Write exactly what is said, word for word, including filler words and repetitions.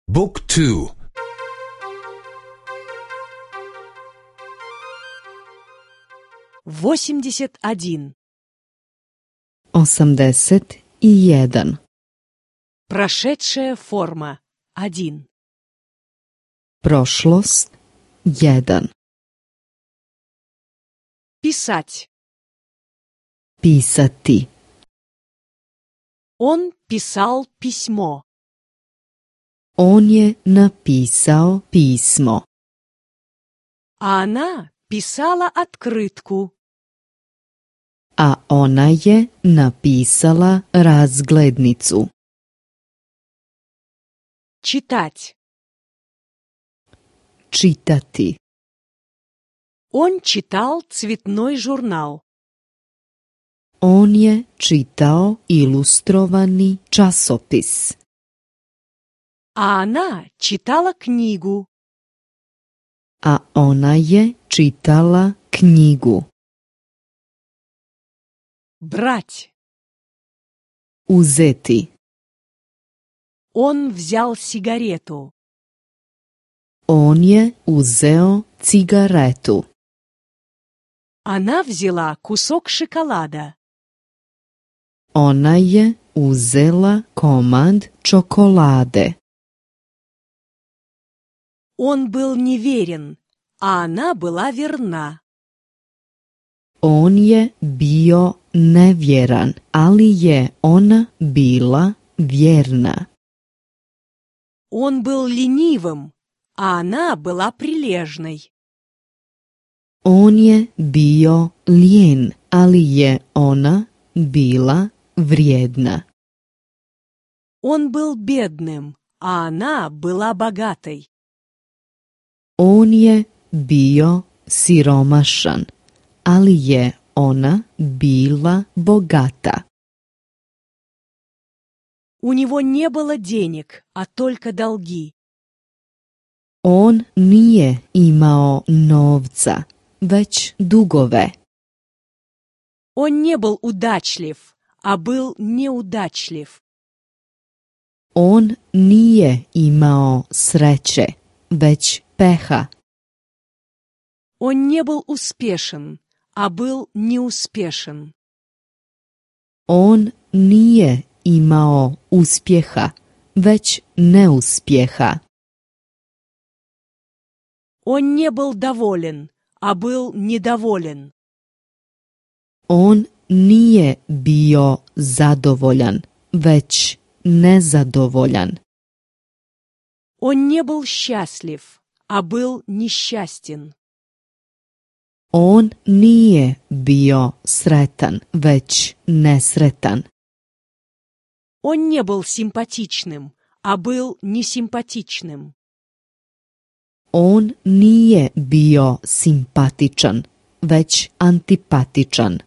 Book two. восемьдесят один. osamdeset i jedan. Прошедшая форма. один. Prošlost jedan. Писать. Pisati. Он писал письмо. On je napisao pismo. А она писала открытку. A ona je napisala razglednicu. Читать. Čitati. Он читал цветной журнал. On je čitao ilustrovani časopis. А она читала книгу. A ona je čitala knjigu. Брать. Uzeti. Он взял сигарету. On je uzeo cigaretu. Она взяла кусок шоколада. Ona je uzela komad čokolade. Он был неверен, а она была верна. On je bio nevjeran, ali je ona bila vjerna. Он был ленивым, а она была прилежной. On je bio lijen, ali je ona bila vrijedna. Он был бедным, а она была богатой. On je bio siromašan, ali je ona bila bogata. У него не было денег, а только долги. On nije imao novca, već dugove. Он не был удачлив, а был неудачлив. On nije imao sreće, već peha. Он не был успешен, а был неуспешен. On nije imao uspjeha, već neuspjeha. Он не был доволен, а был недоволен. On nije bio zadovoljan, već nezadovoljan. Он не был счастлив, а был несчастен. On nije bio sretan, već nesretan. Он не был симпатичным, а был несимпатичным. On nije bio simpatičan, već antipatičan.